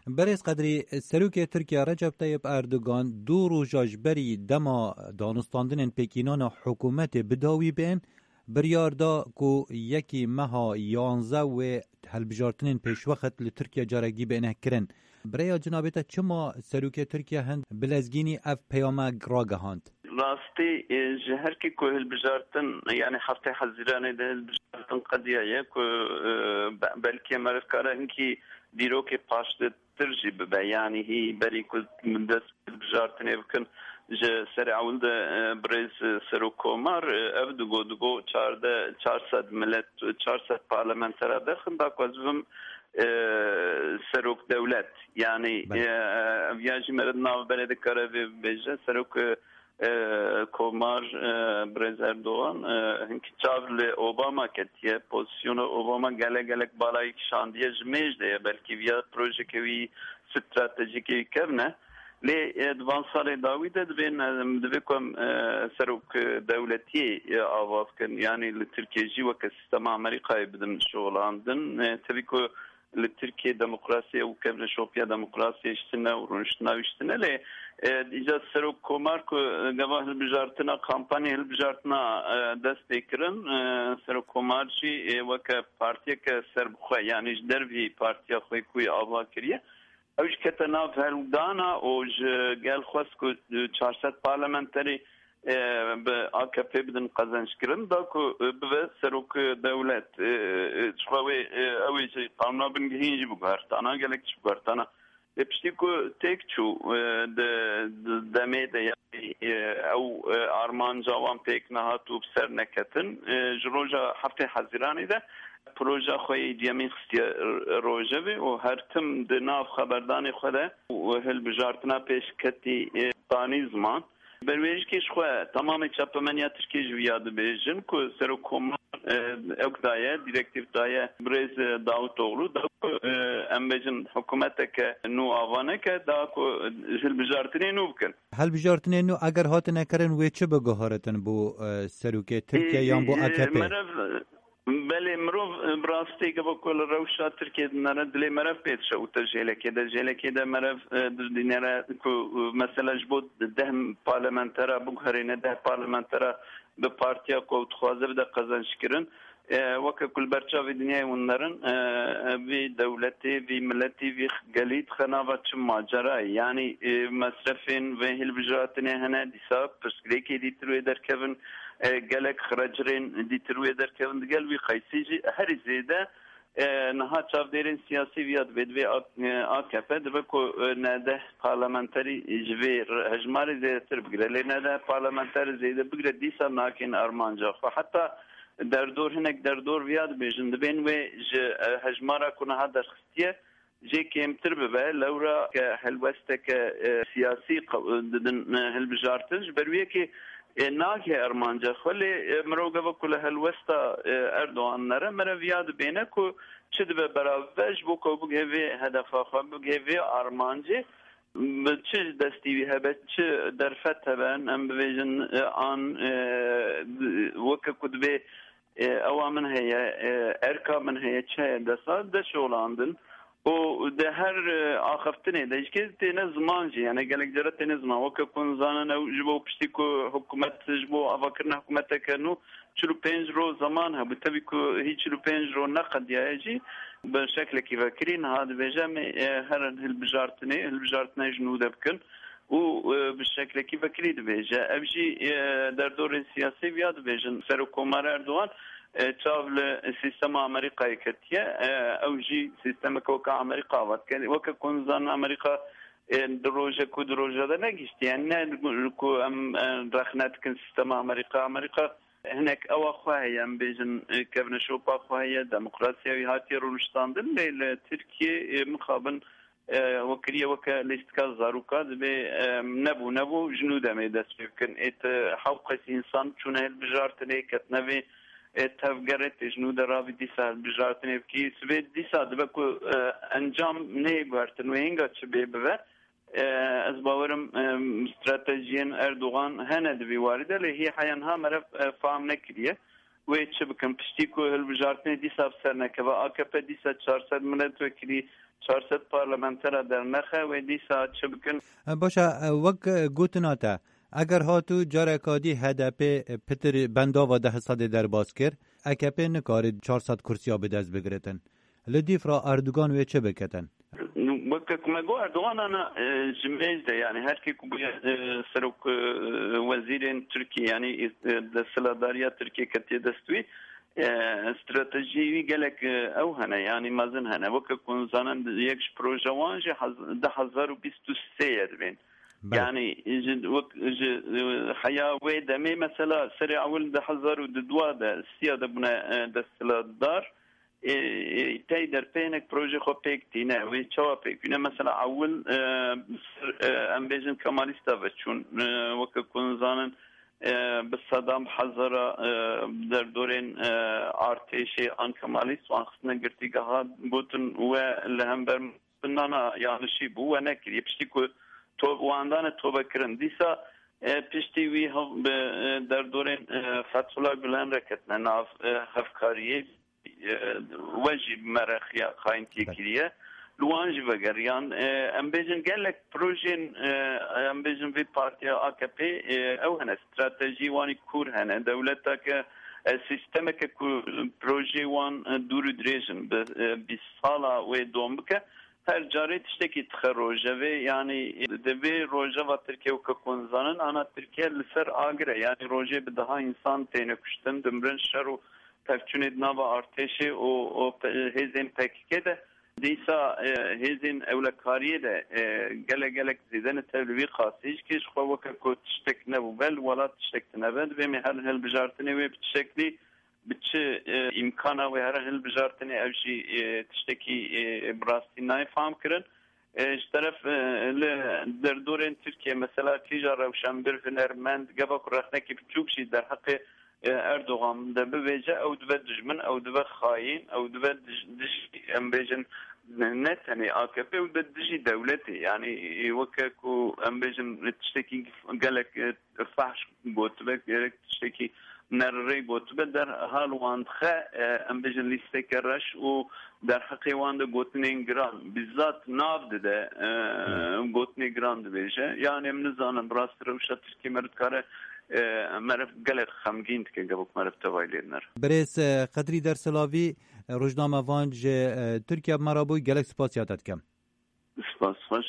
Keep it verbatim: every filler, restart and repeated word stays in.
Berêz Qedrî, Serokê Tirkiye Recep Tayyip Erdogan du roja ji berî dema danûstandinên pêkînana hikûmetê bi dawî bên, biryar da ku yekî meha yanzeh wê hilbijartinên pêşwext li Tirkiye carekî bêne kirin. Bi rêya cinabê te çima Serokê Tirkiye hin bi lezgînî ev peyame ragihand? Rastî, e, ji her kê ku hilbijartin, yanî heftê Hezîranê de hilbijartin qediyaye ku, e, be-, belkî meriv kare hinkî dîrokê paşdetir jî bibe. Yanî hî berî ku dest hilbijartinê bikin, ji serê ewil de, e, birêz, e, Serok Komar, e, ev digo, digo çardeh, çar sed milet, çar sed parlamentera derxin da ku ez bibim, e, Serok dewlet. Yanî, Belê. e, ev ya jî meriv navberê dikare vê bibêje. Serok, e, e, Komar, e, Birêz Erdogan, e, hinkî çav li Obama ketiye. Pozisyona Obama gelek gelek balayî kişandiye, ji mêj de ye. Belkî viya projeke wî stratejîkê wî kevn e. Lê, e, di van salê dawî de dibên, e, divê ku em, e, serok, e, dewletiyê, e, ava bikin. Yanî li Tirkiye jî weke sîstema Amerîkayê bidin şixulandin. E, tevî ku li Tirkiye demokrasiye û kevneşopiya demokrasiyê ji tine û rûniştina wî ji tine. Lê, e, îca Serok Komar ku, e, gava hilbijartina, kampanya hilbijartina, e, dest pê kirin, e, Serok Komar jî, e, weke partiyeke serbixwe, yanî ji dervî partiya xwe ku wî ava kiriye, ew jî kete nav hewldana û ji gel xwest ku, e, çar sed parlamenterî e, bi A K P bidin qezençkirin, da ku, e, bibe serok, e, dewlet, e, e, ji xwe wê, e, ew ê jî qanûna bingehîn jî biguhertana, gelek jî biguhertana. Lê piştî ku têk çû, e, di, di demê de, yanî, e, ew, e, armanca wan pêk nehat û bi ser neketin, e, ji roja heftê Hezîranê de proja xwe yê duyemîn xistiye r-, rojevê û her tim di nav xeberdanê xwe de û hilbijartina pêşketî, e, danî ziman. Berwêjikê ji xwe, tamamê çapemeniya Tirkiyê ji viya dibêjin ku Serokkomar, e, ew daye, direktîf daye birêz, e, Davutoglu, da ku, e, em bêjin hikûmeteke nû ava neke, da ku, e, hilbijartinê nû bikin. Hilbijartinê nû eger hatine kirin, wê çi biguheritin bo, e, serokê Tirkiye yan bo E, e, A K P? Meriv, Belê, mirov, e, bi rastî gava ku li rewşa Tirkiyê dinere, dilê meriv pê dişewite jêlekê de. Jêlekê de meriv, e, dinere ku, e, mesela ji bo deh parlamentera biguherîne, deh parlamentera bi partiya ku ew dixwaze bide qezençkirin. E, weke ku li ber çavê dinyayê hûn nerin, e, e, vî dewletê, vî miletî, vî gelî dixe nava çi macerayê? Yanî, e, mesrefên vê hilbijartinê hene, dîsa pirsgirêkê dîtir wê derkevin. E, gelek xrecirên dîtir wê derkevin, digel wî qeysî jî herî zêde, e, niha çavdêrên siyasî viya dibê, divê A-, e, A K P dibe ku, e, neh deh parlamenterî ji vê re-, hejmarê zêdetir bigire. Lê neh deh parlamenterî zêde bigire, dîsa nakên armanca xwe. Heta derdor, hinek derdor viya dibêjin, dibên wê ji, e, hejmara ku niha derxistiye, jê kêmtir bibe, lewra ke helwesteke, e, siyasî qe-, didin, e, hilbijartin. Ji ber wê yekê, e, nagihê armanca xwe, lê, e, mirov gava ku li helwesta, e, Erdogan nere, meriv viya dibêne ku çi dibe berav bibe, ji bo ku ew bigihê vê hedefa xwe, bigihê vê armancê, bi çi destî wî hebe, çi derfet hebe, em bibêjin, e, an, e, di-, weke ku dibê, e, ewa min heye, e, erka min heye, çi heye desta, de şolandin. Û di her, e, axiftinê de ji kê têne ziman jî, yani gelek cara têne ziman. Weke ku nizanin ew ji bo piştî ku hikûmet, ji bo avakirina hikûmeteke nû çil û pênc roj zeman hebû. Tevî ku hî çil û pênc roj neqediyaye jî, bi şeklekî vekirî niha dibêje, em ê, e, herin hilbijartinê, hilbijartinê ji nû de bikin. Û, e, bi şeklekî vekirî dibêje. Ev jî, e, derdorên siyasî viya dibêjin. Serokkomar Erdogan, e, çav li sîstema Amerîkayê ketiye. E, ew jî sîstemeke weke Amerîka ava dike. Weke ku nizanin Amerîka, e, di rojek û di roja de negihiştiye. Yani ne ku em, e, rexne dikin sîstema Amerîka. Amerîka hinek ewa xwe heye, em bêjin, e, kevneşopa xwe heye, demokrasiya wî hatiye rûniştandin. Lê li Tirkiye, e, mixabin e, we kiriye weke lîstika zaroka, dibê, e, nebû, nebû, ji nû demê dest pê bikin. Ê ti hewqes însan çûne hilbijartinê, ketine vê, e, tevgerê, tê ji nû de ravî dîsa hilbijartinê bikî. Sibê dîsa dibe ku, e, encam neyê guhertin wê hênga çi bê bibe. E, ez bawerim, e, stratejiyên Erdogan hene di vî warî de, lê hî heya niha meriv, e, fam nekiriye. Wê çi bikin? Piştî ku hilbijartinê dîsa bi ser nekeve, A K P dîsa çar sed miletwekilî Çar sed parlamentera dernexe wê dîsa çi bikin? E, baş e, e, wek, e, gotina te, eger hatû careka dî H D P pitir bendava deh sedê derbas kir, A K P nikarî çar sed kursiya bi dest bigiritin. Li dîf re Erdogan wê çi biketin? Weke ku me got, Erdogan ana, e, ji mêj de, yani her kê ku bûye, e, serok, e, wezîrên Tirkiye, yani, e, desthilatdariya Tirkiye ketiye dest wî, e, stratejî wî gelek, e, ew hene, yani mezin hene. Weke ku hûn zanin, yek ji proje wan jî hez-, du hezar û bîst û sê ye dibên. Belê. Yani ji, wek, ji, e, heya wê demê, mesela serê ewil du hezar û dudwa de, siya de bûne, e, desthilatdar. E, e, tey derpê hinek projê xwe pêk tîne. Wê çawa pêk tîne? Mesela ewil, e, ser, e, em bêjin Kemalîsta ve çûn. E, weke ku hûn zanin, e, bi sedan bi hezara, e, derdorên, e, artêşê an Kemalîst wan xistine girtîgeha, gotin we li hember nana yanlişî bû, we nekiriye. Piştî ku to-, wan dane tobe kirin. Dîsa, e, piştî wî hev-, bi, e, derdorên, e, Fethullah Gulen re ketine nav, e, hevkariyê. E, we jî bi me re xiya-, xayîntiyê Belê. kiriye. Li wan jî vegeriyan. E, em bêjin gelek projên, e, em bêjin vê partiya A K P, e, ew hene, stratejî wan î kûr hene. Dewleteke, e, sîstemeke ku projê wan, e, dûr û dirêj in, bi, e, bîst sala wê dom bike, her carê tiştekî dixe rojevê. Yani, e, di vê rojeva Tirkiye weke ku hûn zanin, ana Tirkiye li ser agir e. Yani rojê bi deha însan têne kuştin, dimirin, şer û pevçûnê di nava artêşê û, û pe-, hêzên P K K de. Dîsa, e, hêzên ewlekariyê de, e, gelek gelek zêde ne tev li vî qasî. Ji kê ji xwe weke ku tiştek nebûbe, li welat tiştek tine be, divê me her hilbijartinê wê bi çi şeklî, bi çi, e, îmkana wê here hilbijartinê, ev jî, e, tiştekî, e, bi rastî nayê fam kirin. E, ji teref, e, li derdorên Tirkiye, mesela kîja rewşenbir, hunermend, geva ku rexnekî biçûk jî derheqê, e, Erdogan de bivêje, ew dibe dijmin, ew dibe xayîn, ew dibe dij-, dijî, em bêjin, ne, ne tenê A K P, ew dibe dijî dewletê. Yani, e, weke ku em bêjin tiştekî gelek, e, fehş gotibe, gerek tiştekî nerrê gotibe, derhal wan dixe, e, em bêjin lîsteke reş û derheqê wan de gotinên giran, bizzat nav dide, e, Hmm. gotinê giran dibêje. Yani em nizanin, bi rastî rewşa Tirkiye meriv dikare, e, meriv gelek xemgîn dike, gevok meriv tevayî lê dinere. Birêz, e, Qedrî Dersilavî, e, rojnamevan ji, e, Tirkiye bi me re bû, gelek spasiya te dikim. Spas xweş.